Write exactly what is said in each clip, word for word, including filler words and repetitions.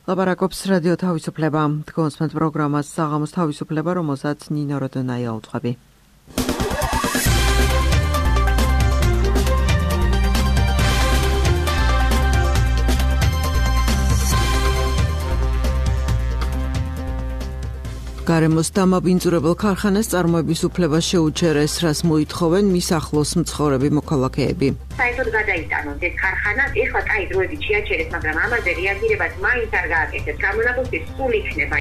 ლაპარაკობს რადიო თავისუფლება. Თქვენს პროგრამას საღამოს თავისუფლება, რომელსაც ნინო როდონაია უძღვები. გარემოს დამაბინძურებელ ქარხანას წარმოების უფლება შეუჩერეს, რას მოითხოვენ მის ახლოს მცხოვრები მოქალაქეები. საერთოდ გადაიტანოთ ეს ქარხანა, ეხლა კაი დროებით შეაჩერეს, მაგრამ ამაზე რეაგირებას მაინც არ გააკეთეთ. გამონაბოლქვი სულ იქნება.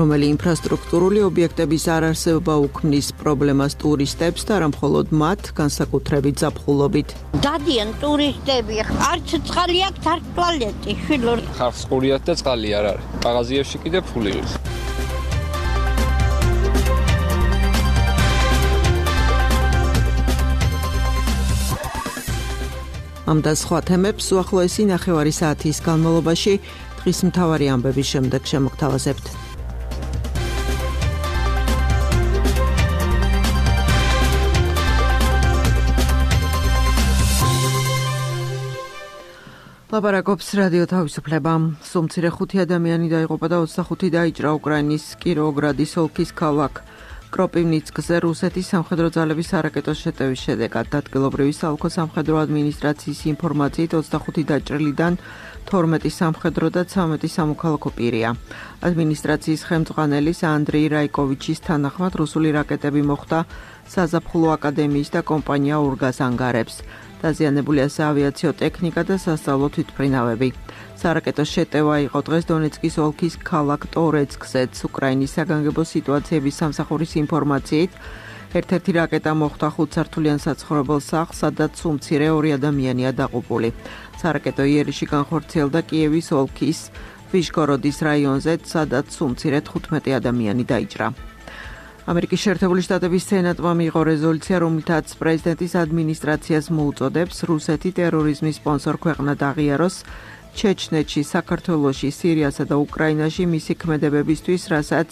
რომელი ინფრასტრუქტურული ობიექტების არარსებობა უქმნის პრობლემას ტურისტებს და არა მხოლოდ მათ, განსაკუთრებით ზაფხულობით. დადიან ტურისტები, არც წყალი აქვს, არც ტუალეტი, შვილო. ხარს ყურიათ და წყალი არ არის. კაღაზიაში კიდე ფული არის. ამ და სხვა თემებს უახლოესი ნახევარი საათის განმავლობაში დღის მთავარი ამბების შემდეგ შემოგთავაზებთ. ლაპარაკობს რადიო თავისუფლება. სულ ხუთი ადამიანი დაიღუპა და ოცდახუთი დაიჭრა უკრაინის კიროვოგრადის ოლქის ქალაქ კროპივნიცკზე რუსეთის სამხედრო ძალების არაკეტო შეტევის შედეგად. ადგილობრივი საოლქო სამხედრო ადმინისტრაციის ინფორმაციით ოცდახუთი დაჭრილიდან თორმეტი სამხედრო და ცამეტი სამოქალაქო პირია. ადმინისტრაციის ხელმძღვანელის ანდრეი რაიკოვიჩის თანახმად რუსული რაკეტები მოხვდა საზაფხულო აკადემიის და კომპანია ურგას ანგარებს. დაზიანებულია საავიაციო ტექნიკა და სასწავლო თვითმფრინავები. სარაკეტო შეტევა იყო დღეს დონეცკის ოლქის ქალაქ ტორეცკზეც. უკრაინის საგანგებო სიტუაციების სამსახურის ინფორმაციით ერთ-ერთი რაკეტა მოხვდა ხუთსართულიან საცხოვრებელ სახლს, სადაც უმცირე ორი ადამიანია დაღუპული. სარაკეტო იერიში განხორციელდა კიევის ოლქის ვიშგოროდის რაიონზე, სადაც უმცირე თხუთმეტი ადამიანი დაიჭრა. ამერიკის შეერთებული შტატების სენატმა მიიღო რეზოლუცია, რომლითაც პრეზიდენტის ადმინისტრაციას მოუწოდებს რუსეთი ტერორიზმის სპონსორ ქვეყნად აღიაროს ჩეჩნეთში, საქართველოში, სირიასა და უკრაინაში მისი ქმედებებისთვის, რასაც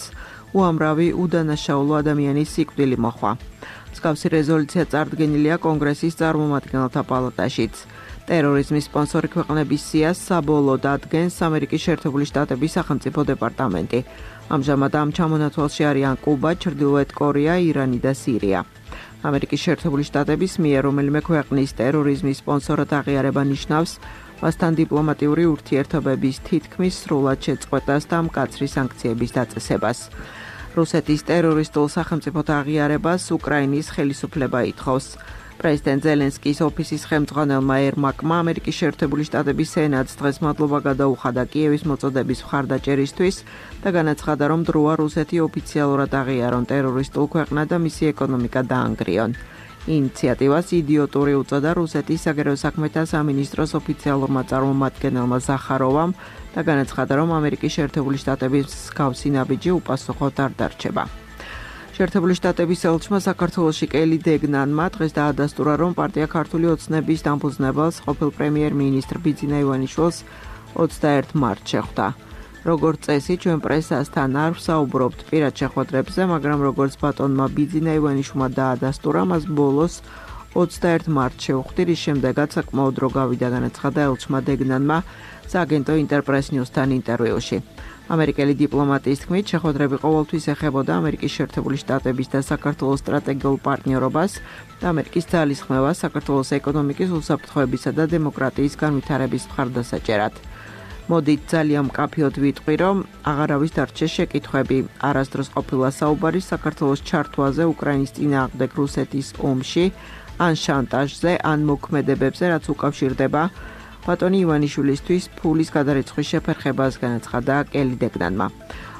უამრავი უდანაშაულო ადამიანის სიკვდილი მოჰყვა. მსგავსი რეზოლუცია წარდგენილია კონგრესის წარმომადგენელთა პალატაშიც. ტერორიზმის სპონსორი ქვეყნების სიას საბოლოოდ ადგენს ამერიკის შეერთებული შტატების სახელმწიფო დეპარტამენტი. ამჟამად ამ ჩამონათვალში არიან კუბა, ჩრდილოეთ კორეა, ირანი და სირია. ამერიკის შეერთებული შტატების მიერ რომელიმე ქვეყნის ტერორიზმის სპონსორად აღიარება ნიშნავს მასთან დიპლომატიური ურთიერთობების თითქმის სრულად შეწყვეტას და მკაცრი სანქციების დაწესებას. რუსეთის ტერორისტულ სახელმწიფოდ აღიარებას უკრაინის ხელისუფლება ითხოვს. პრეზიდენტ ზელენსკის ოფისის ხელმძღვანელმა ერმაკმა ამერიკის შეერთებული შტატების სენატს დღეს მადლობა გადაუხადა კიევის მოწოდების მხარდაჭერისთვის და განაცხადა, რომ დროა რუსეთი ოფიციალურად აღიარონ ტერორისტულ ქვეყნად და მისი ეკონომიკა დაანგრიონ. ინიციატივას იდიოტური უწოდა რუსეთის საგარეო საქმეთა სამინისტროს ოფიციალურმა წარმომადგენელმა ზახაროვამ და განაცხადა, რომ ამერიკის შეერთებული შტატების მსგავსი ნაბიჯი უპასუხოდ არ დარჩება. შეერთებული შტატების ელჩმა საქართველოში კელი დეგნანმა დღეს დაადასტურა, რომ პარტია ქართული ოცნების დამფუძნებელს ყოფილ პრემიერ-მინისტრ ბიძინა ივანიშვილს ოცდაერთი მარტს შეხვდა. როგორც წესი, ჩვენ პრესასთან არ ვსაუბრობთ პირად შეხვედრებზე, მაგრამ როგორც ბატონმა ბიძინა ივანიშვილმა დაადასტურა, მას ბოლოს ოცდაერთი მარტს შეხვდი, რის შემდეგაც საკმაოდ დრო გავიდა, განაცხადა ელჩმა დეგნანმა სააგენტო ინტერპრეს ნიუსთან ინტერვიუში. ამერიკელი დიპლომატის თქმით, შეხვედრები ყოველთვის ეხებოდა ამერიკის შეერთებული შტატების და საქართველოს სტრატეგიულ პარტნიორობას და ამერიკის ძალისხმევას საქართველოს ეკონომიკის უსაფრთხოებისა და დემოკრატიის განვითარების მხარდასაჭერად. მოდით ძალიან მკაფიოდ ვიტყვი, რომ აღარავის დარჩეს შეკითხვები. არასდროს ყოფილა საუბარი საქართველოს ჩართვაზე უკრაინის წინააღმდეგ რუსეთის ომში, ან შანტაჟზე, ან მოქმედებებზე, რაც უკავშირდება ბატონი ივანიშვილისთვის ფულის გადარიცხვის შეფერხებას, განაცხადა კელი დეგნანმა.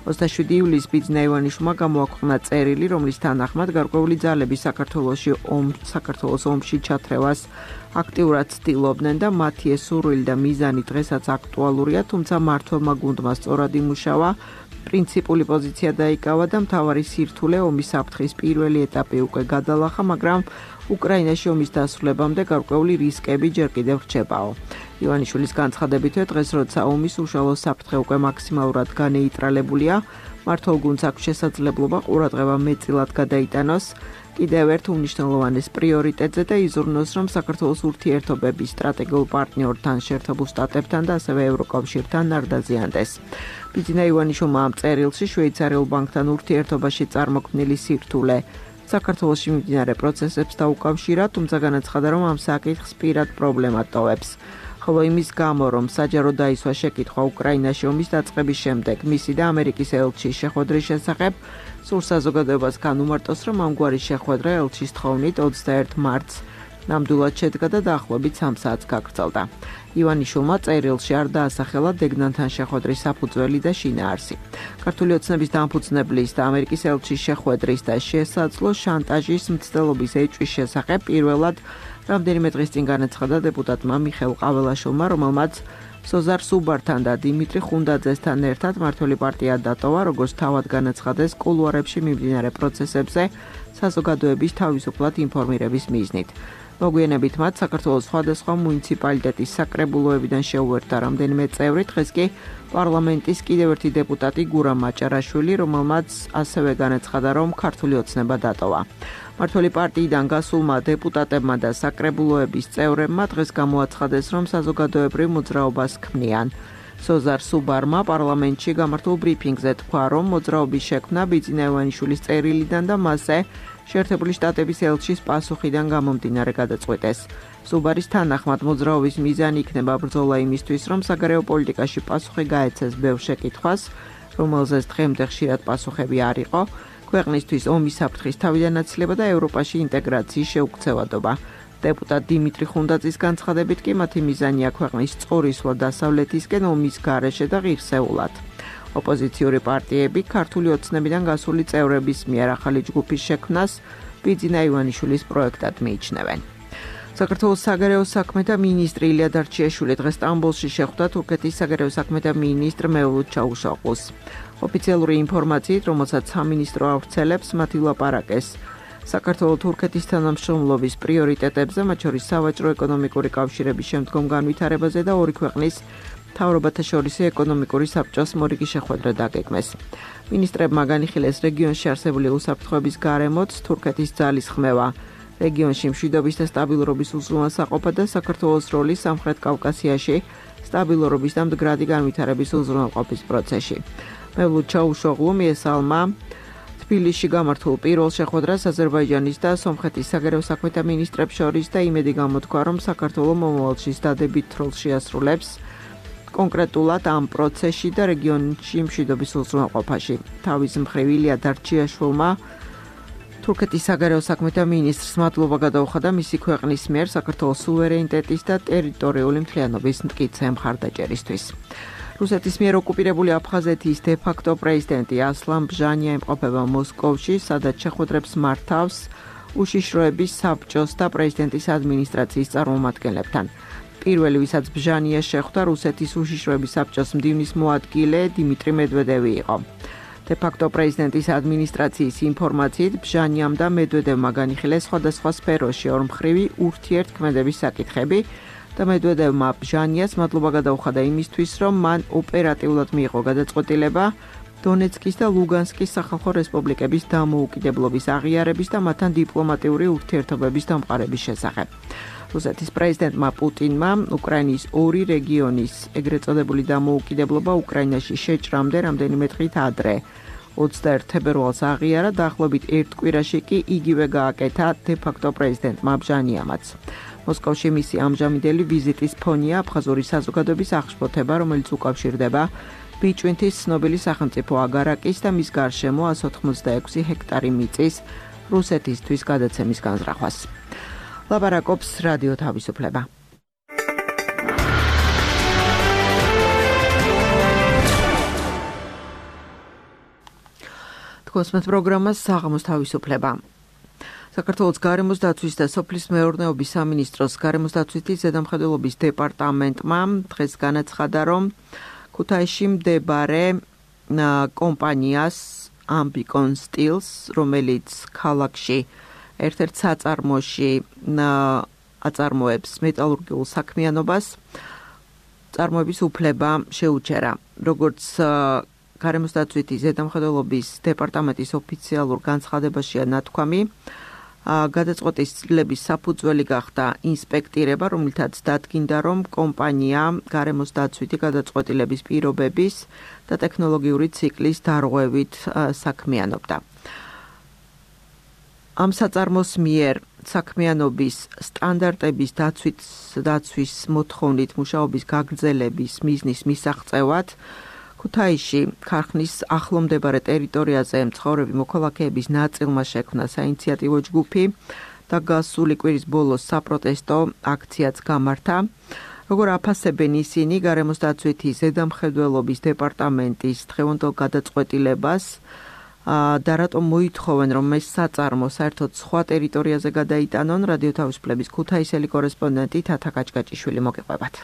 ოცდაშვიდი ივლისს ბიძინა ივანიშვილმა გამოაქვეყნა წერილი, რომლის თანახმად გარკვეული ძალები საქართველოში ომ საქართველოს ომში ჩათრევას აქტიურად ცდილობდნენ და მათი ეს სურვილი და მიზანი დღესაც აქტუალურია, თუმცა მმართველმა გუნდმა სწორად იმუშავა, პრინციპული პოზიცია დაიკავა და მთავარი სირთულე ომის საფრთხის პირველი ეტაპი უკვე გადალახა, მაგრამ უკრაინაში ომის დასრულებამდე გარკვეული რისკები ჯერ კიდევ რჩებაო. ივანიშვილის განცხადებითვე დღეს როცა ომის უშუალო საფრთხე უკვე მაქსიმალურად განეიტრალებულია, მმართველგუნდს აქვს შესაძლებლობა ყურადღება მეტწილად გადაიტანოს კიდევ ერთ უმნიშვნელოვანეს პრიორიტეტზე და იზრუნოს, რომ საქართველოს ურთიერთობების სტრატეგიულ პარტნიორთან, შეერთებულ შტატებთან და ასევე ევროკავშირთან არ დაზიანდეს. ბიძინა ივანიშვილმა ამ წერილში შვეიცარიულ ბანკთან ურთიერთობაში წარმოქმნილი სირთულე საქართველოში მიმდინარე პროცესებს დაუკავშირა, თუმცა განაცხადა, რომ ამ საკითხს პირად პრობლემად ტოვებს. ხოლო იმის გამო, რომ საჯარო დაისვა შეკითხვა უკრაინაში ომის დაწყების შემდეგ მისი და ამერიკის ელჩის შეხვედრის შესახებ, სულ საზოგადოებას განუმარტოს, რომ ამგვარი შეხვედრა ელჩის თხოვნით ოცდაერთ მარტს ნამდვილად შედგა და დაახლოებით სამ საათს გაგრძელდა. ივანიშვილმა წერილში არ დაასახელა დეგნანთან შეხვედრის საფუძველი და შინაარსი. ქართული ოცნების დამფუძნებლის და ამერიკის ელჩის შეხვედრის და შესაძლო შანტაჟის მცდელობის ეჭვის შესახებ პირველად რამდენიმე დღის წინ განაცხადა დეპუტატმა მიხეილ ყაველაშვილმა, რომელმაც სოზარ სუბართან და დიმიტრი ხუნდაძესთან ერთად მმართველი პარტია დატოვა, როგორც თავად განაცხადეს კულუარებში მიმდინარე პროცესებზე საზოგადოების თავისუფლად ინფორმირების მიზნით. მოგვიანებით მათ საქართველოს სხვადასხვა მუნიციპალიტეტის საკრებულოებიდან შეუერთდა რამდენიმე წევრი, დღეს კი პარლამენტის კიდევ ერთი დეპუტატი გურამ მაჭარაშვილი, რომელმაც ასევე განაცხადა, რომ ქართული ოცნება დატოვა. მმართველი პარტიიდან გასულმა დეპუტატებმა და საკრებულოების წევრებმა დღეს გამოაცხადეს, რომ საზოგადოებრივ მოძრაობას ქმნიან. სოზარ სუბარმა პარლამენტში გამართულ ბრიფინგზე თქვა, რომ მოძრაობის შექმნა ბიძინა ივანიშვილის წერილიდან და მასზე შეერთებული შტატების ელჩის პასუხიდან გამომდინარე გადაწყვეტეს. სუბარის თანახმად მოძრაობის მიზანი იქნება ბრძოლა იმისთვის, რომ საგარეო პოლიტიკაში პასუხი გაეცეს ბევრ შეკითხვას, რომელზეც დღემდე ხშირად პასუხები არ იყო, ქვეყნისთვის ომის საფრთხის თავიდანაცილება და ევროპაში ინტეგრაციის შეუქცევადობა. დეპუტატ დიმიტრი ხუნდაძის განცხადებით კი მათი მიზანია ქვეყნის წორისვლა დასავლეთისკენ ომის გარეშე და ღირსეულად. ოპოზიციური პარტიები ქართული ოცნებიდან გასული წევრების მიერ ახალი ჯგუფის შექმნას ბიძინა ივანიშვილის პროექტად მიიჩნევენ. საქართველოს საგარეო საქმეთა მინისტრი ილია დარჩიაშვილი დღეს სტამბოლში შეხვდა თურქეთის საგარეო საქმეთა მინისტრ მევლუდ ჩაუშოყუს. ოფიციალური ინფორმაციით, რომელსაც სამინისტრო ავრცელებს, მათ ილაპარაკეს საქართველოს-თურქეთის თანამშრომლობის პრიორიტეტებზე, მათ შორის სავაჭრო-ეკონომიკური კავშირების შემდგომ განვითარებაზე და ორი ქვეყნის მთავრობათა შორის ეკონომიკური საბჭოს მორიგი შეხვედრა დაგეგმეს. მინისტრებმა განიხილეს რეგიონში არსებული უსაფრთხოების გარემოც, თურქეთის ძალის ხმევა, რეგიონში მშვიდობის და სტაბილურობის უზრუნველსაყოფად და საქართველოს როლი სამხრეთ კავკასიაში სტაბილურობის და მდგრადი განვითარების უზრუნველყოფის პროცესში. მევლუდ ჩაუშოღლუ მიესალმა თბილისში გამართულ პირველ შეხვედრას აზერბაიჯანის და სომხეთის საგარეო საქმეთა მინისტრებს შორის და იმედი გამოთქვა, რომ საქართველო მომავალში დადებით როლს შეასრულებს კონკრეტულად ამ პროცესში და რეგიონში მშვიდობის უზრუნველყოფაში. თავის მხრივ ილია დარჩიაშვილმა თურქეთის საგარეო საქმეთა მინისტრს მადლობა გადაუხადა მისი ქვეყნის მიერ საქართველოს სუვერენიტეტის და ტერიტორიული მთლიანობის მტკიცე მხარდაჭერისთვის. რუსეთის მიერ ოკუპირებული აფხაზეთის დე-ფაქტო პრეზიდენტი ასლან ბჟანია იმყოფება მოსკოვში, სადაც შეხვედრებს მართავს უშიშროების საბჭოს და პრეზიდენტის ადმინისტრაციის წარმომადგენლებთან. პირველი, ვისაც ბჟანია შეხვდა, რუსეთის უშიშროების საბჭოს მდივნის მოადგილე დიმიტრი მედვედევი იყო. დე-ფაქტო პრეზიდენტის ადმინისტრაციის ინფორმაციით, ბჟანიამ და მედვედევმა განიხილეს სხვადასხვა სფეროში ორმხრივი ურთიერთქმედების საკითხები და მედვედევმა ბჟანიას მადლობა გადაუხადა იმისთვის, რომ მან ოპერატიულად მიიღო გადაწყვეტილება დონეცკის და ლუგანსკის სახალხო რესპუბლიკების დამოუკიდებლობის აღიარების და მათთან დიპლომატიური ურთიერთობების დამყარების შესახებ. რუსეთის პრეზიდენტმა პუტინმა უკრაინის ორი რეგიონის ეგრეთ წოდებული დამოუკიდებლობა უკრაინაში შეჭრამდე რამდენიმე დღით ადრე ოცდაერთ თებერვალს აღიარა, დაახლოებით ერთ კვირაში კი იგივე გააკეთა დე-ფაქტო პრეზიდენტმა ბჟანიამაც. მოსკოვში მისი ამჟამინდელი ვიზიტის ფონია აფხაზური საზოგადოების აღშფოთება, რომელიც უკავშირდება ბიჭვინთის ცნობილი სახელმწიფო აგარაკის და მის გარშემო ასი ოცდაექვსი ჰექტარი მიწის რუსეთისთვის გადაცემის განზრახვას. ლაპარაკობს რადიო თავისუფლება. თქვენს პროგრამას საღამოს თავისუფლება. საქართველოს გარემოს დაცვის და სოფლის მეურნეობის სამინისტროს გარემოს დაცვითი ზედამხედველობის დეპარტამენტმა დღეს განაცხადა, რომ ქუთაისში მდებარე კომპანიას Ambicon Steels, რომელიც ქალაქში ერთ-ერთ საწარმოში აწარმოებს მეტალურგიულ საქმიანობას, წარმოების უფლება შეუჩერა. როგორც გარემოს დაცვითი ზედამხედველობის დეპარტამენტის ოფიციალურ განცხადებაშია ნათქვამი, გადაწყვეტილების საფუძველი გახდა ინსპექტირება, რომლითაც დადგინდა, რომ კომპანია გარემოს დაცვითი გადაწყვეტილების პირობების და ტექნოლოგიური ციკლის დარღვევით საქმიანობდა. ამ საწარმოს მიერ საქმიანობის სტანდარტების დაცვის დაცვის მოთხოვნით მუშაობის გაგრძელების მიზნის მისაღწევად ქუთაისში ქარხნის ახლომდებარე ტერიტორიაზე მცხოვრები მოქალაქეების ნაწილმა შექმნა საინიციატივო ჯგუფი და გასული კვირის ბოლოს საპროტესტო აქციაც გამართა. როგორ აფასებენ ისინი გარემოს დაცვითი ზედამხედველობის დეპარტამენტის დღევანდელ გადაწყვეტილებას და რატომ მოითხოვენ, რომ ეს საწარმო საერთოდ სხვა ტერიტორიაზე გადაიტანონ? რადიო თავისუფლების ქუთაისელი კორესპონდენტი თათა კაჭკაჭიშვილი მოგიყვებათ.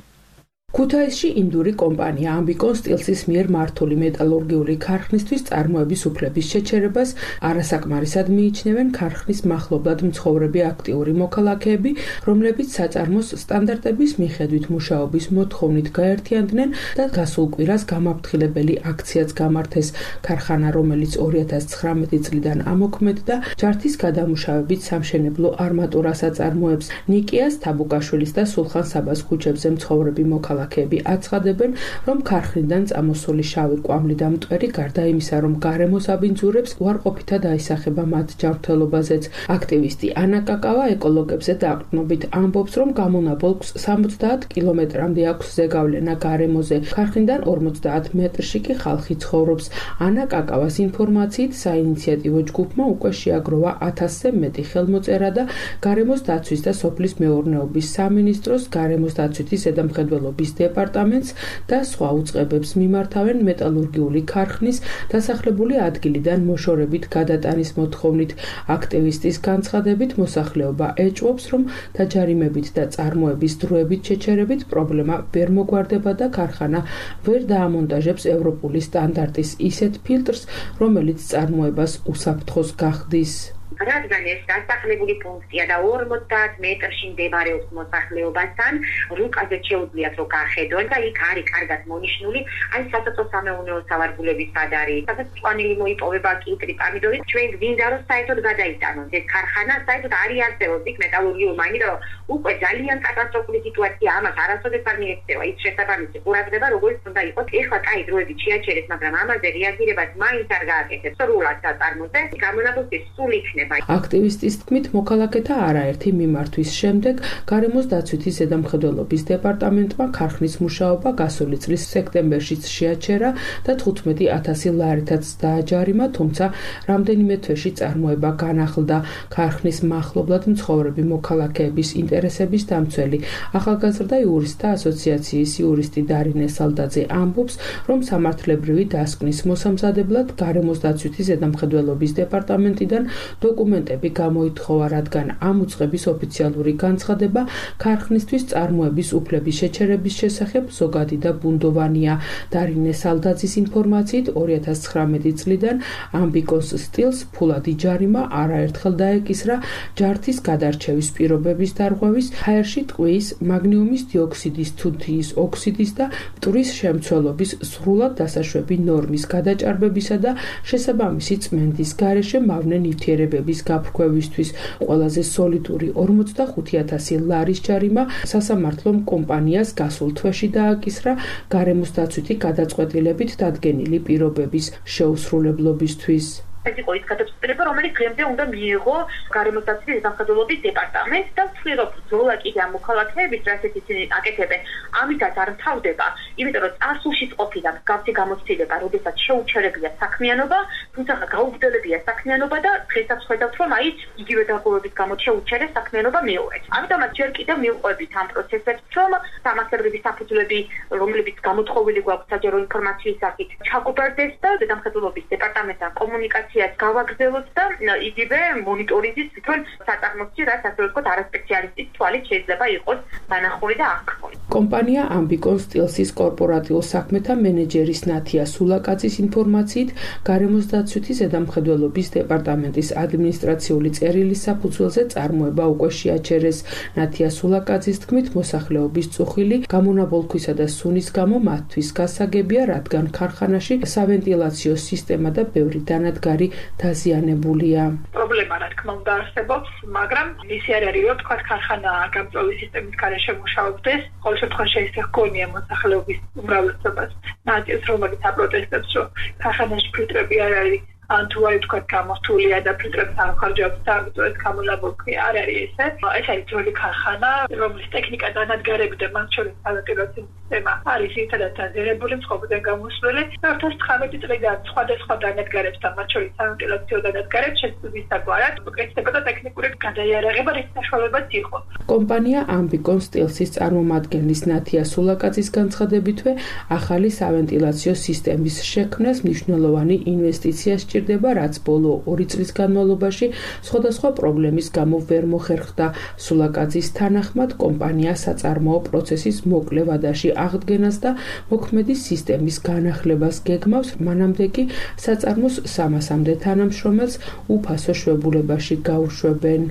ქუთაისში ინდური კომპანია ამბიკონ სტილსის მიერ მართული მეტალურგიული ქარხნისთვის წარმოების უფლების შეჩერებას არასაკმარისად მიიჩნევენ ქარხნის მახლობლად მცხოვრები აქტიური მოქალაქეები, რომლებიც საწარმოს სტანდარტების მიხედვით მუშაობის მოთხოვნით გაერთიანდნენ და გასულ კვირას გამაფრთხილებელი აქციაც გამართეს. ქარხანა, რომელიც ორი ათას ცხრამეტი წლიდან ამოქმედდა ჯართის გადამუშავებით სამშენებლო არმატურას აწარმოებს. ნიკიას, თაბუკაშვილის და სულხან საბას ქუჩებზე მცხოვრები მოქალაქეები აცხადებენ, რომ ქარხნიდან წამოსული შავი კვამლი და მტვერი გარდა იმისა, რომ გარემოს აბინძურებს, უარყოფითად აისახება მათ ჯანმრთელობაზეც. აქტივისტი ანა კაკავა ეკოლოგებზე დაყრდნობით ამბობს, რომ გამონაბოლქვს სამოცდაათ კილომეტრამდე აქვს ზეგავლენა გარემოზე. ქარხნიდან ორმოცდაათ მეტრში კი ხალხი ცხოვრობს. ანა კაკავას ინფორმაციით საინიციატივო ჯგუფმა უკვე შეაგროვა ათასზე მეტი ხელმოწერა და გარემოს დაცვის და სოფლის მეურნეობის სამინისტროს, გარემოს დაცვითი ზედამხედველობის დეპარტამენტს და სხვა უწყებებს მიმართავენ მეტალურგიული ქარხნის დასახლებული ადგილიდან მოშორებით გადატანის მოთხოვნით. აქტივისტის განცხადებით მოსახლეობა ეჭვობს, რომ დაჯარიმებით და წარმოების დროებით შეჩერებით პრობლემა ვერ მოგვარდება და ქარხანა ვერ დაამონტაჟებს ევროპული სტანდარტის ისეთ ფილტრს, რომელიც წარმოებას უსაფრთხოს გახდის. რადგან ეს დასახლებული პუნქტია და ორმოცდაათ მეტრში მდებარეობს მოსახლეობასთან, რუკაზე შეუძლიათ რომ გახედონ და იქ არის კარგად მონიშნული, აი სასოფლო-სამეურნეო სავარგულების სად არის, სადაც წვანილი მოიპოვება, კიტრი, პამიდორი, ჩვენ გვინდა რომ საერთოდ გადაიტანონ ეს ქარხანა, საერთოდ არის არსებობს იქ მეტალურგიული, მაგრამ უკვე ძალიან კატასტროფული სიტუაცია, ამას არასოდეს არ მიექცევა ის შესაბამისი ყურადღება, როგორც უნდა იყოს. ეხლა კაი დროებით შეაჩერეს, მაგრამ ამაზე რეაგირებას მაინც არ გააკეთებს. სრულად საწარმოზე გამონაბოლქვი სულ იქნება. აქტივისტის თქმით, მოქალაქეთა არაერთი მიმართვის შემდეგ გარემოს დაცვითი ზედამხედველობის დეპარტამენტმა ქარხნის მუშაობა გასული წლის სექტემბერშიც შეაჩერა და თხუთმეტი ათასი ლარითაც დააჯარიმა, თუმცა რამდენიმე თვეში წარმოება განახლდა. ქარხნის მახლობლად მცხოვრები მოქალაქეების ინტერესების დამცველი ახალგაზრდა იურისტთა ასოციაციის იურისტი დარინე სალდაძე ამბობს, რომ სამართლებრივი დასკვნის მოსამზადებლად გარემოს დაცვითი ზედამხედველობის დეპარტამენტიდან დოკუმენტები გამოითხოვა, რადგან ამ უწყების ოფიციალური განცხადება ქარხნისთვის წარმოების უფლების შეჩერების შესახებ ზოგადი და ბუნდოვანია. დარინე სალდაძის ინფორმაციით ორი ათას ცხრამეტი წლიდან ამბიკოს სტილს ფულადი ჯარიმა არაერთხელ დაეკისრა ჯართის გადარჩევის პირობების დარღვევის, ჰაერში ტყვიის, მაგნიუმის დიოქსიდის, თუთიის ოქსიდის და მტვრის შემცველობის სრულად დასაშვები ნორმის გადაჭარბებისა და შესაბამისი წმენდის გარეშე მავნე ნივთიერებების გაფრქვევისთვის. ყველაზე სოლიდური ორმოცდახუთი ათასი ლარის ჯარიმა სასამართლომ კომპანიას გასულ თვეში დააკისრა გარემოს დაცვითი გადაწყვეტილებით დადგენილი პირობების შეუსრულებლობისთვის. ეს იყო ის გადაწყვეტილება, რომელიც დღემდე უნდა მიიღო გარემოს დაცვითი ზედამხედველობის დეპარტამენტს და ვთქვი, რომ ბრძოლა კიდე ამ მოქალაქეების, რასაც ისინი აკეთებენ, ამითაც არ მთავრდება, იმიტომ რომ წარსულში ყოფილა მსგავსი გამოცდილება, როდესაც შეუჩერებია საქმიანობა, თუმცა გაუგრძელებია საქმიანობა და დღესაც ხედავთ, რომ აი იგივე დარღვევების გამო შეუჩერეს საქმიანობა მეორედ. ამიტომაც ჯერ კიდევ მივყვებით ამ პროცესებს, რომ სამართლებრივი საფუძვლები, რომლებიც გამოთხოვილი გვაქვს საჯარო ინფორმაციის სახით, ჩაგუბერდეს და ზედამხედველობის დეპარტამენტთან კომუნიკაცია ინფორმაციას გავაგრძელოთ და იგივე მონიტორინგის თვითონ საწარმოებში, რაც ასე ვთქვათ, არასპეციალისტის თვალით შეიძლება იყოს დანახული და აღქმული. კომპანია ამბიკონ სტილსის კორპორატიულ საქმეთა მენეჯერის ნათია სულაკაძის ინფორმაციით, გარემოს დაცვითი ზედამხედველობის დეპარტამენტის ადმინისტრაციული წერილის საფუძველზე წარმოება უკვე შეაჩერეს. ნათია სულაკაძის თქმით, მოსახლეობის წუხილი გამონაბოლქვისა და სუნის გამო მათთვის გასაგებია, რადგან ქარხანაში სავენტილაციო სისტემა და ბევრი დანადგარი დაზიანებულია. პრობლემა რა თქმა უნდა არსებობს, მაგრამ ისე არ არის, რომ თქვა ქარხანა გამწვავი სისტემის გარეშე მუშაობდეს, ყოველ შემთხვევაში ეს ჰქონია მოსახლეობის უმრავლესობას ნაწილს, რომელიც აპროტესტებს, რომ ქარხანაში ფილტრები არ არის. ან თუ არის თქვა გამოსთულია და ფილტრებს არ ხარჯავს და ამიტომ ეს გამონაბოლქვი არ არის ესე. ეს არის ძველი ქარხანა, რომლის ტექნიკა დანადგარები და მათ შორის სავენტილაციო სისტემა არის ერთადაც დაზიანებული მსხვერპლიდან გამოსვლელი. ერთას ცხრამეტი წლიდან სხვადასხვა დანადგარებს და მათ შორის სავენტილაციო დანადგარებს შეცვლის საგვარად უკეთდებოდა ტექნიკური გადაიარაღება, რის საშუალებაც იყო. კომპანია ამბიკონ სტილსის წარმომადგენლის ნათია სულაკაძის განცხადებითვე, ახალი სავენტილაციო სისტემის შექმნას მნიშვნელოვანი ინვესტიცია სჭირდება, რაც ბოლო ორი წლის განმავლობაში სხვადასხვა პრობლემის გამო ვერ მოხერხდა. სულაკაძის თანახმად, კომპანია საწარმოო პროცესის მოკლე ვადაში აღდგენას და მოქმედი სისტემის განახლებას გეგმავს, მანამდე კი საწარმოს სამასამდე თანამშრომელს უფასო შვებულებაში გაუშვებენ.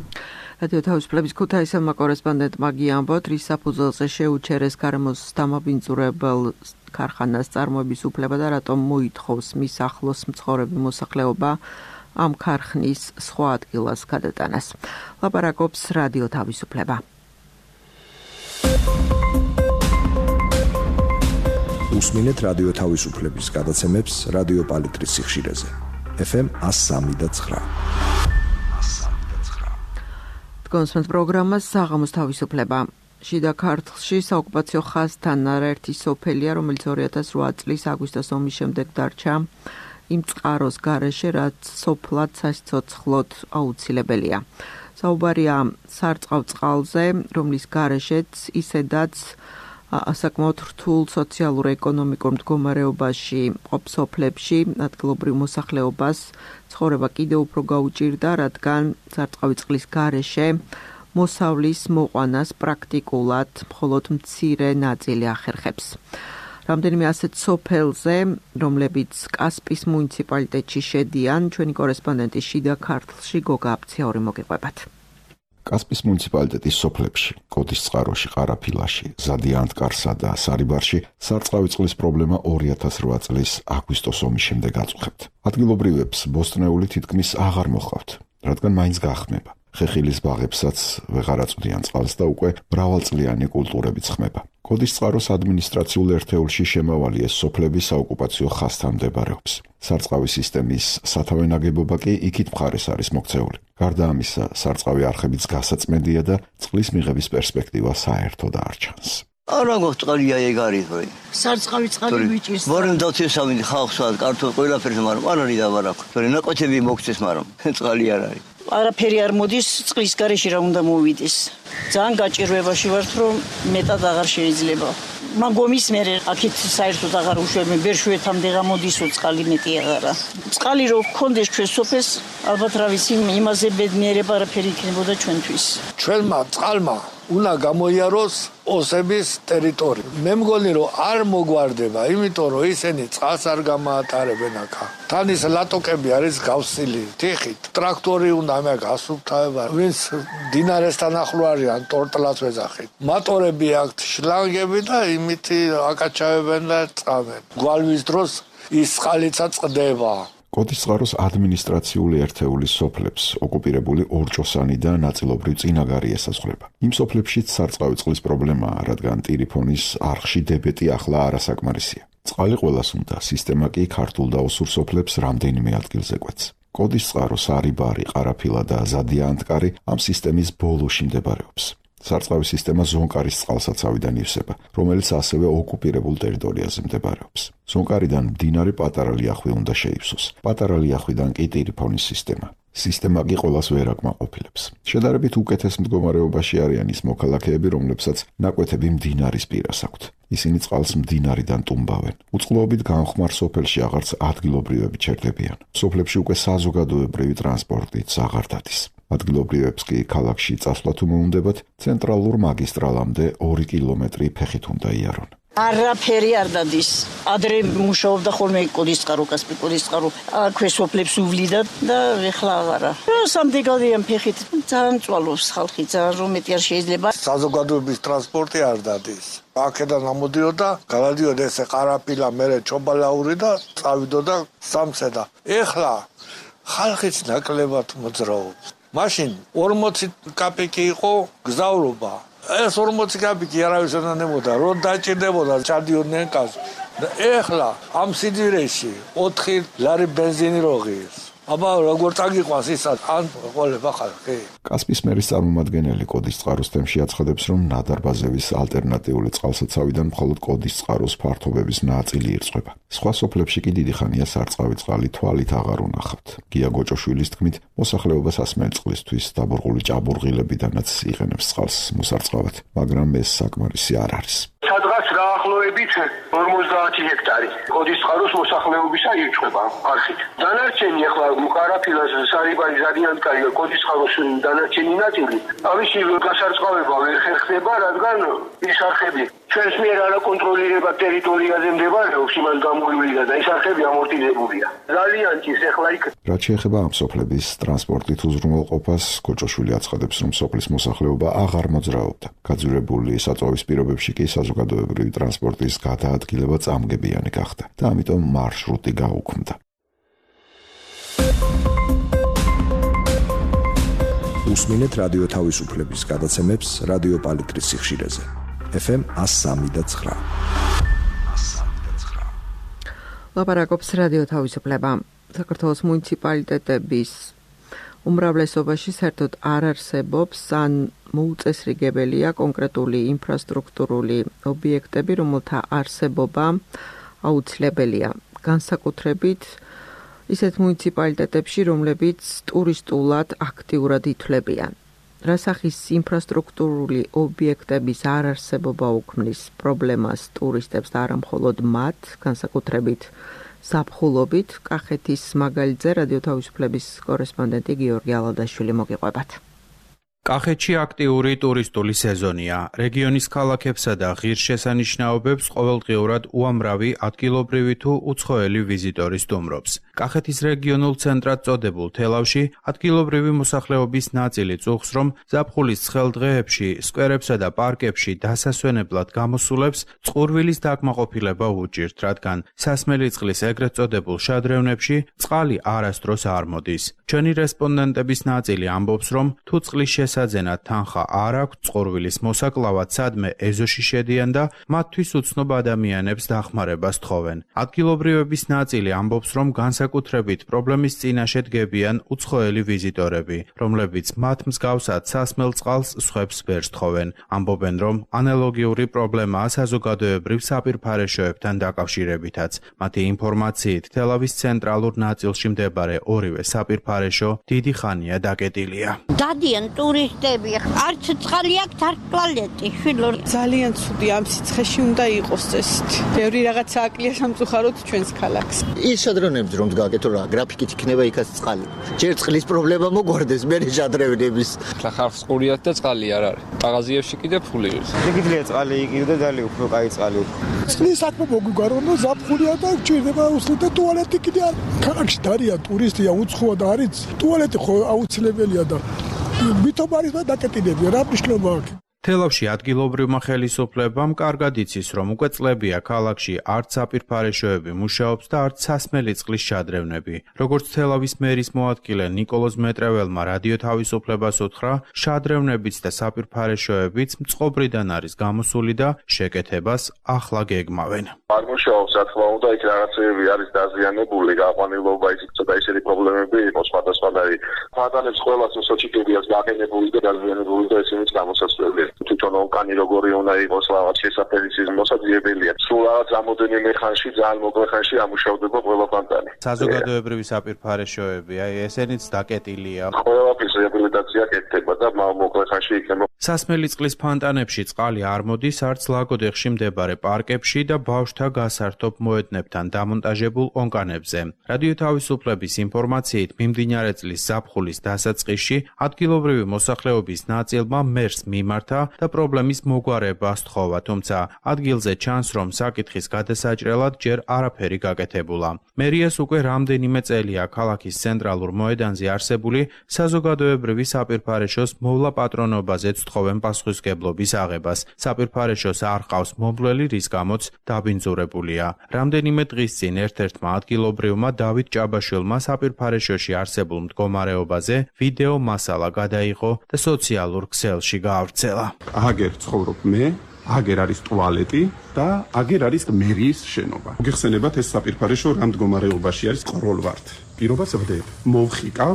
რადიო თავისუფლების ქუთაისელმა კორესპონდენტმა გიამბოთ, რის საფუძველზე შეუჩერეს გარემოს დამაბინძურებელ ქარხანას წარმოების უფლება და რატომ მოითხოვს მის ახლოს მცხოვრები მოსახლეობა ამ ქარხნის სხვა ადგილას გადატანას. ლაპარაკობს რადიო თავისუფლება. უსმინეთ რადიო თავისუფლების გადაცემებს რადიო პალიტრის სიხშირეზე. ეფ ემ one oh three point nine. კონსმენთ პროგრამას საღამოს თავისუფლება. შიდა ქართლში საოკუპაციო ხაზთან არაერთი სოფელია, რომელიც ორი ათას რვა წლის აგვისტოს ომის შემდეგ დარჩა იმ წყაროს გარეშე, რაც სოფლად სასიცოცხლოდ აუცილებელია. საუბარია სარწყავ წყალზე, რომლის გარეშეც ისედაც ასაკმაოდ რთულ სოციალურ-ეკონომიკურ მდგომარეობაში მყოფ სოფლებში ადგილობრივ მოსახლეობას ცხოვრება კიდევ უფრო გაუჭირდა, რადგან სარწყავი წყლის გარეშე მოსავლის მოყვანას პრაქტიკულად მხოლოდ მცირე ნაწილი ახერხებს. რამდენიმე ასეთ სოფელზე, რომლებიც კასპის მუნიციპალიტეტში შედიან, ჩვენი კორესპონდენტი შიდა ქართლში გოგა აფციაური მოგიყვებათ. კასპის მუნიციპალიტეტის სოფლებში, კოდისწყაროში, ყარაფილაში, ზადიანთკარსა და სარიბარში სარწყავი წყლის პრობლემა ორი ათას რვა წლის აგვისტოს ომის შემდეგ აწუხებთ. ადგილობრივებს ბოსტნეული თითქმის აღარ მოჰყავთ, რადგან მაინც გაახმება. ხეხილის ბაღებსაც ვეღარ აწვდიან წყალს და უკვე მრავალწლიანი კულტურებიც ხმება. კოდისწყაროს ადმინისტრაციულ ერთეულში შემავალი ეს სოფლები საოკუპაციო ხაზთან მდებარეობს. სარწყავი სისტემის სათავე ნაგებობა კი იქით მხარეს არის მოქცეული. გარდა ამისა, სარწყავი არხებიც გასაწმენდია და წყლის მიღების პერსპექტივა საერთოდ არ ჩანს. არა გოწყალია ეგ არის ვე. სარწყავი წყალი ვიჭირს. ვარენ დავთესავინი ხალხსა კარტო ყველაფერს, მაგრამ არ არის დავარაკ. თორე ნაკვეთები მოგცეს, მაგრამ წყალი არ არის. არაფერი არ მოდის, წყლის გარეშე რა უნდა მოვიდეს. ძალიან გაჭირვებაში ვართ, რომ მეტად აღარ შეიძლება. მაგომის მე აქეთ საერთოდ აღარ უშვებენ, ბერშვეთამდე გამოდისო წყალი მეტი აღარა. წყალი რო გქონდეს ჩვენ სოფელს, ალბათ რა ვიცი, იმაზე ბედნიერება არაფერი იქნებოდა ჩვენთვის. ჩვენმა წყალმა უნდა გამოიაროს ოსების ტერიტორია. მე მგონი რომ არ მოგვარდება, იმიტომ რომ ისინი წყალს არ გამაატარებენ აქა. თან ის ლატოკები არის გავსილი თიხით. ტრაქტორი უნდა მე გასუფთავება. ვინც დინარესთან ახლო არიან, ტორტლას ვეძახით. მატორები აქვთ შლანგები და იმითი აკაჩავებენ და წავენ. გვალვის დროს ის წყალიცა წყდება. კოდისწყაროს ადმინისტრაციული ერთეულის სოფლებს ოკუპირებული ორჭოსანი და ნაწილობრივ წინაგარი ესაზღვრება. იმ სოფლებშიც სარწყავი წყლის პრობლემაა, რადგან ტირიფონის არხში დებეტი ახლა არასაკმარისია. წყალი ყველას უნდა, სისტემა კი ქართულ და ოსურ სოფლებს რამდენიმე ადგილზე კვეთს. კოდისწყარო, სარიბარი, ყარაფილა და ზადიანთკარი ამ სისტემის ბოლოში მდებარეობს. სარწყავი სისტემა ზონკარის წყალსაცავიდან ივსება, რომელიც ასევე ოკუპირებულ ტერიტორიაზე მდებარეობს. ზონკარიდან მდინარე პატარა ლიახვი უნდა შეივსოს. პატარა ლიახვიდან კი ტირიფონის სისტემა. სისტემა კი ყველას ვერ აკმაყოფილებს. შედარებით უკეთეს მდგომარეობაში არიან ის მოქალაქეები, რომლებსაც ნაკვეთები მდინარის პირას აქვთ. ისინი წყალს მდინარიდან ტუმბავენ. უწყლოობით განხმარ სოფელში აღარც ადგილობრივები ჩერდებიან. სოფლებში უკვე საზოგადოებრივი ტრანსპორტიც აღარ დადის. ადგილობრივებს კი ქალაქში წასვლა თუ მოუნდებათ, ცენტრალურ მაგისტრალამდე ორი კილომეტრი ფეხით უნდა იარონ. არაფერი არ დადის. ადრე მუშაობდა ხოლმე კოდისწყარო, კასპიკოდისწყარო. აქვე სოფლებს უვლიდა და ეხლა აღარა. სამდეგადიან ფეხით ძალიან წვალობს ხალხი, ძალიან რომ მეტი არ შეიძლება. საზოგადოების ტრანსპორტი არ დადის. აქედან ამოდიოდა, გადადიოდა ესე ყარაფილა, მერე ჩობალაური და წავიდოდა სამცედა. ეხლა ხალხიც ნაკლებად მოძრაობს. მაშინ ორმოცი კაპიკი იყო გზავრობა. ეს ორმოცი კაპიკი არავის არ ნემოდა, რომ დაჭირდებოდა ჩადიოდნენ კაცს. და ეხლა ამ სიდირეში ოთხი ლარი ბენზინი როღის. აბა როგორ წაგიყვანს ისაც ან ყოლება ხალხი. კასპის მერის წარმომადგენელი კოდისწყაროს თემში აცხადებს, რომ ნადარბაზევის ალტერნატიული წყალსაცავიდან მხოლოდ კოდისწყაროს ფართობების ნაწილი ირწყვება. სხვა სოფლებში კი დიდი ხანია სარწყავი წყალი თვალით აღარ უნახავთ. გია გოჭოშვილის თქმით, მოსახლეობას ასმელი წყლისთვის დაბურღული ჭაბურღილებიდანაც იყენებს წყალს მოსარწყავად, მაგრამ ეს საკმარისი არ არის. სადღაც დაახლოებით ორმოცდაათი ჰექტარი კოდისწყაროს მოსახლეობისა ირჩება არხით. დანარჩენი ახლა მყარაფილას სარიბარი ზადიანკარი კოდისწყაროს დანარჩენი ნაწილი ამისი გასარწყავება ვერ ხერხდება, რადგან ის არხები ჩვენს მიერ არაკონტროლირებად ტერიტორიაზე მდებარეობს, იმან გამოივლიდა და ის არხები ამორტიზებულია. ძალიან ჭირს ახლა იქ. რაც შეეხება ამ სოფლების ტრანსპორტით უზრუნველყოფას, გოჭოშვილი აცხადებს, რომ სოფლის მოსახლეობა აღარ მოძრაობდა. გაძვირებული საწვავის პირობებში კი საზოგადოებრივი ტრანსპორტის გადაადგილება წამგებიანი გახდა და ამიტომ მარშრუტი გაუქმდა. უსმინეთ რადიო თავისუფლების გადაცემებს რადიო პალიტრის სიხშირეზე. ეფ ემ one oh three და nine. ლაპარაკობს რადიო თავისუფლება. საქართველოს მუნიციპალიტეტების უმრავლესობაში საერთოდ არ არსებობს ან მოუწესრიგებელია კონკრეტული ინფრასტრუქტურული ობიექტები, რომელთა არსებობა აუცილებელია. განსაკუთრებით ისეთ მუნიციპალიტეტებში, რომლებიც ტურისტულად აქტიურად ითვლებიან. რა სახის ინფრასტრუქტურული ობიექტების არ არსებობა უქმნის პრობლემას ტურისტებს და არა მხოლოდ მათ, განსაკუთრებით ზაფხულობით, კახეთის მაგალითზე რადიო თავისუფლების კორესპონდენტი გიორგი ალადაშვილი მოგიყვებათ. კახეთში აქტიური ტურისტული სეზონია. რეგიონის ქალაქებსა და ღირსშესანიშნაობებს ყოველდღიურად უამრავი ადგილობრივი თუ უცხოელი ვიზიტორი სტუმრობს. კახეთის რეგიონულ ცენტრად წოდებულ თელავში ადგილობრივი მოსახლეობის ნაწილი წუხს, რომ ზაფხულის ცხელ დღეებში სკვერებსა და პარკებში დასასვენებლად გამოსულებს წყურვილის დაკმაყოფილება უჭირთ, რადგან სასმელი წყლის ეგრეთ წოდებულ შადრევნებში წყალი არასდროს არ მოდის. ჩვენი რესპონდენტების ნაწილი ამბობს, რომ თუ წყლის შესაძენად თანხა არ აქვს, წყურვილის მოსაკლავად სადმე ეზოში შედიან და მათთვის უცნობ ადამიანებს დახმარებას თხოვენ. ადგილობრივების ნაწილი ამბობს, რომ განსაკუთრებით პრობლემის წინაშე დგებიან უცხოელი ვიზიტორები, რომლებიც მათ მსგავსად სასმელ წყალს სხვებს ვერ სთხოვენ. ამბობენ, რომ ანალოგიური პრობლემაა საზოგადოებრივ საპირფარეშოებთან დაკავშირებითაც. მათი ინფორმაციით, თელავის ცენტრალურ ნაწილში მდებარე ორივე საპირფარეშო დიდი ხანია დაკეტილია. დადიან ტურისტები, არც წყალი აქვს, არც ტუალეტი, შვილო. ძალიან ცუდი ამ სიცხეში უნდა იყოს ეს. ბევრი რაღაცა აკლია სამწუხაროდ ჩვენს ქალაქს. ის შადრევნებს რომ გაკეთო რა, გრაფიკით იქნება იქაც წყალი. ჯერ წყლის პრობლემა მოგვარდეს, მერე შადრევნების. ხლა ხალხს ყურიათ და წყალი არ არის. ყაღაზიებში კიდე ფული ის. შეგიძლია წყალი იყიდო ძალიან უფრო კაი წყალი. წყლის საქმე მოგვიგარო, რომ ზაფხულია და გჭირდება უსლით და ტუალეტი კიდე არ. ქალაქში დარიან ტურისტია, უცხოა და არის ტუალეტი ხო აუცილებელია და ვითომ არის და დაკეტინებია, რა მნიშვნელობა აქვს? თელავში ადგილობრივმა ხელისუფლებამ კარგად იცის, რომ უკვე წლებია ქალაქში არც საპირფარეშოები მუშაობს და არც სასმელი წყლის შადრევნები. როგორც თელავის მერის მოადგილე ნიკოლოზ მეტრეველმა რადიო თავისუფლებას უთხრა, შადრევნებიც და საპირფარეშოებიც მწყობრიდან არის გამოსული და შეკეთებას ახლა გეგმავენ. არ მუშაობს, რა თქმა უნდა, იქ რაღაცები არის დაზიანებული, გაყვანილობა, ის ცოტა ისეთი პრობლემები იყო სხვადასხვანაირი. ფატალებს ყველას მოსაჩიკებიას გაყენებული და დაზიანებული და ესენიც გამოსასწორებელი. თვითონ ონკანი როგორი უნდა იყოს რაღაც შესაფერისი მოსაძიებელია. სულ რაღაც რამოდენიმე ხანში, ძალიან მოკლე ხანში ამუშავდება ყველა ფანტანი. საზოგადოებრივი საპირფარეშოები, აი ესენიც დაკეტილია. ყველაფრის რეაბილიტაცია კეთდება და მოკლე ხანში იქნება. სასმელი წყლის ფანტანებში წყალი არ მოდის, არც ლაგოდეხში მდებარე პარკებში და ბავშვთა გასართობ მოედნებთან დამონტაჟებულ ონკანებზე. რადიო თავისუფლების ინფორმაციით, მიმდინარე წლის ზაფხულის დასაწყისში ადგილობრივი მოსახლეობის ნაწილმა მერს მიმართა და პრობლემის მოგვარება სთხოვა, თუმცა ადგილზე ჩანს, რომ საკითხის გადასაჭრელად ჯერ არაფერი გაკეთებულა. მერიას უკვე რამდენიმე წელია ქალაქის ცენტრალურ მოედანზე არსებული საზოგადოებრივი საპირფარეშოს მოვლა პატრონობაზე თხოვენ პასუხისმგებლობის აღებას. საპირფარეშოს არ ყავს მომვლელი, რის გამოც დაბინძურებულია. რამდენიმე დღის წინ ერთ-ერთმა ადგილობრივმა დავით ჭაბაშვილმა საპირფარეშოში არსებულ მდგომარეობაზე ვიდეო მასალა გადაიღო და სოციალურ ქსელში გაავრცელა. აგერ ცხოვრობ მე, აგერ არის ტუალეტი და აგერ არის მერიის შენობა. გიხსენებათ ეს საპირფარეშო რამ მდგომარეობაში არის ყროლვართ. პირობას ვდებ, მოვხიკავ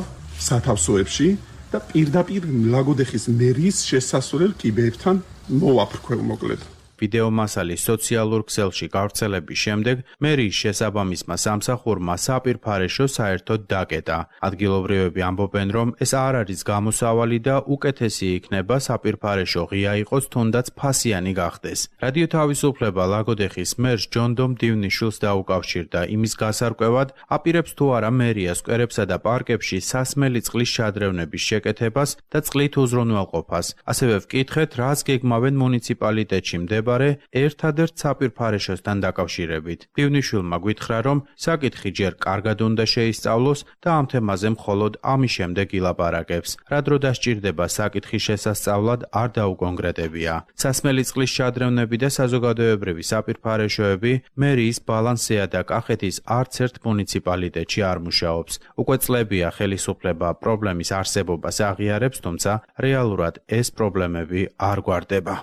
სათავსოებში და პირდაპირ ლაგოდეხის მერიის შესასვლელ კიბეებთან მოვაფრქვევ მოკლედ. ვიდეო მასალის სოციალურ ქსელში გავრცელების შემდეგ მერიის შესაბამისმა სამსახურმა საპირფარეშო საერთოდ დაკეტა. ადგილობრივები ამბობენ, რომ ეს არ არის გამოსავალი და უკეთესი იქნება საპირფარეშო ღია იყოს, თუნდაც ფასიანი გახდეს. რადიო თავისუფლება ლაგოდეხის მერს ჯონდომ დივნიშვილს დაუკავშირდა იმის გასარკვევად, აპირებს თუ არა მერია სკვერებსა და პარკებში სასმელი წყლის შადრევნების შეკეთებას და წყლით უზრუნველყოფას. ასევე ვკითხეთ, რას გეგმავენ მუნიციპალიტეტში მდებარე ერთადერთ საპირფარეშოსთან დაკავშირებით. დივნიშვილმა გვითხრა, რომ საკითხი ჯერ კარგად უნდა შეისწავლოს და ამ თემაზე მხოლოდ ამის შემდეგ ილაპარაკებს. რა დრო დასჭირდება საკითხის შესასწავლად არ დაუკონკრეტებია. სასმელი წყლის შადრევნები და საზოგადოებრივი საპირფარეშოები მერიის ბალანსეა და კახეთის არც ერთ მუნიციპალიტეტში არ მუშაობს. უკვე წლებია ხელისუფლება პრობლემის არსებობას აღიარებს, თუმცა რეალურად ეს პრობლემები არ გვარდება.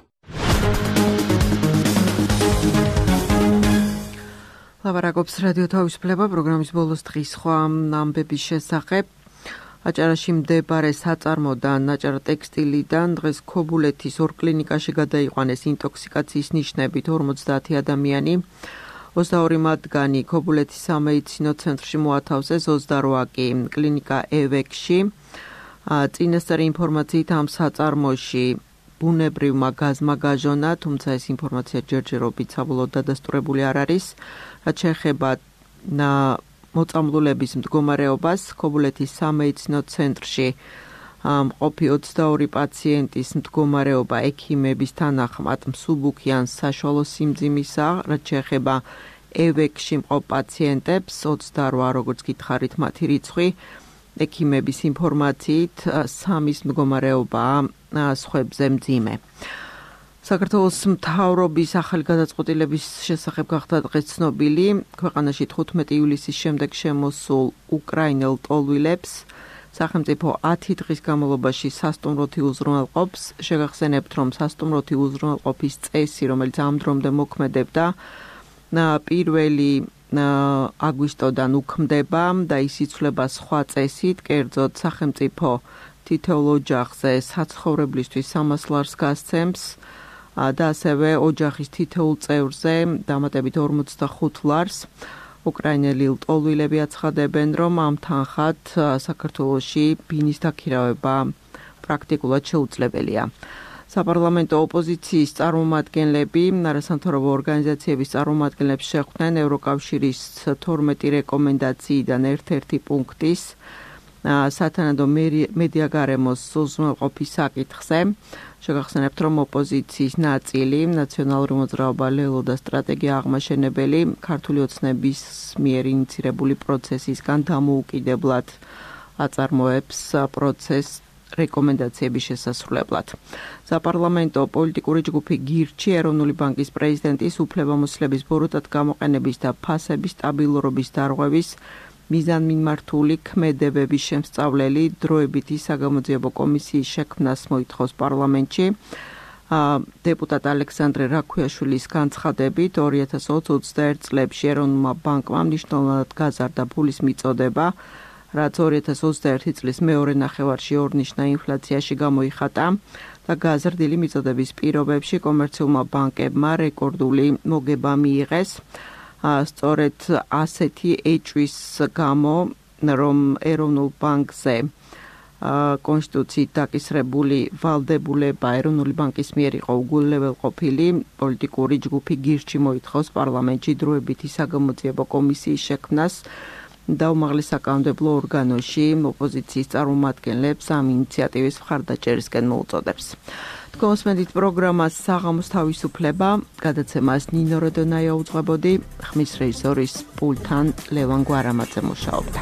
ლაპარაკობს რადიო თავისუფლება პროგრამის ბოლოს დღის სხვა ამბების შესახებ. აჭარაში მდებარე საწარმოდან აჭარა ტექსტილიდან დღეს ქობულეთის ორ კლინიკაში გადაიყვანეს ინტოქსიკაციის ნიშნებით ორმოცდაათი ადამიანი. ოცდაორი მათგანი ქობულეთის სამედიცინო ცენტრში მოათავსეს, ოცდარვა კი კლინიკა ევექში. წინასწარი ინფორმაციით ამ საწარმოში ბუნებრივმა გაზმა გაჟონა, თუმცა ეს ინფორმაცია ჯერჯერობით საბოლოოდ დადასტურებული არ არის. რაც შეეხება მოწამლულების მდგომარეობას, ქობულეთის სამედიცინო ცენტრში მყოფი ოცდაორი პაციენტის მდგომარეობა ექიმების თანახმად მსუბუქი ან საშუალო სიმძიმისა, რაც შეეხება ევექში მყოფ პაციენტებს, ოცდარვა როგორც გითხარით მათი რიცხვი, ექიმების ინფორმაციით სამის მდგომარეობაა სხვებზე მძიმე. საქართველოს მთავრობის ახალი გადაწყვეტილების შესახებ გახდა დღეს ცნობილი. ქვეყანაში თხუთმეტი ივლისის შემდეგ შემოსულ უკრაინელ ტოლვილებს სახელმწიფო ათი დღის განმავლობაში სასტუმროთი უზრუნველყოფს. შეგახსენებთ, რომ სასტუმროთი უზრუნველყოფის წესი, რომელიც ამ დრომდე მოქმედებდა, პირველი აგვისტოდან უქმდება და ის იცვლება სხვა წესით, კერძოდ სახელმწიფო თითოეულ ოჯახზე საცხოვრებლისთვის სამას ლარს გასცემს და ასევე ოჯახის თითოეულ წევრზე დამატებით ორმოცდახუთ ლარს. უკრაინელი ლტოლვილები აცხადებენ, რომ ამ თანხად საქართველოში ბინის დაქირავება პრაქტიკულად შეუძლებელია. საპარლამენტო ოპოზიციის წარმომადგენლები, არასამთავრობო ორგანიზაციების წარმომადგენლებს შეხვდნენ ევროკავშირის თორმეტი რეკომენდაციიდან ერთ-ერთი პუნქტის სათანადო მედიაგარემოს უზრუნველყოფის საკითხზე. შეგახსენებთ, რომ ოპოზიციის ნაწილი ნაციონალური მოძრაობა ლელო და სტრატეგია აღმაშენებელი ქართული ოცნების მიერ ინიცირებული პროცესისგან დამოუკიდებლად აწარმოებს პროცესს რეკომენდაციების შესასრულებლად. საპარლამენტო პოლიტიკური ჯგუფი გირჩი ეროვნული ბანკის პრეზიდენტის უფლებამოსილების ბოროტად გამოყენების და ფასების სტაბილურობის დარღვევის მიზანმიმართული ქმედებების შემსწავლელი დროებითი საგამოძიებო კომისიის შექმნას მოითხოვს პარლამენტში. დეპუტატ ალექსანდრე რაქვიაშვილის განცხადებით ორი ათას ოცდაერთ წლებში ეროვნულმა ბანკმა მნიშვნელოვნად გაზარდა ფულის მიწოდება, რაც ორი ათას ოცდაერთი წლის მეორე ნახევარში ორნიშნა ინფლაციაში გამოიხატა და გაზრდილი მიწოდების პირობებში კომერციულმა ბანკებმა რეკორდული მოგება მიიღეს. სწორედ ასეთი ეჭვის გამო, რომ ეროვნულ ბანკზე კონსტიტუციით დაკისრებული ვალდებულება ეროვნული ბანკის მიერ იყო უგულებელყოფილი, პოლიტიკური ჯგუფი გირჩი მოითხოვს პარლამენტში დროებითი საგამოძიებო კომისიის შექმნას და უმაღლეს საკანონმდებლო ორგანოში ოპოზიციის წარმომადგენლებს ამ ინიციატივის მხარდაჭერისკენ მოუწოდებს. თქვენ მოსმენთ პროგრამას საღამოს თავისუფლება, გადაცემას ნინო როდონაია უძღვებოდი, ხმის რეჟისორის პულტთან ლევან გვარამაძე მუშაობდა.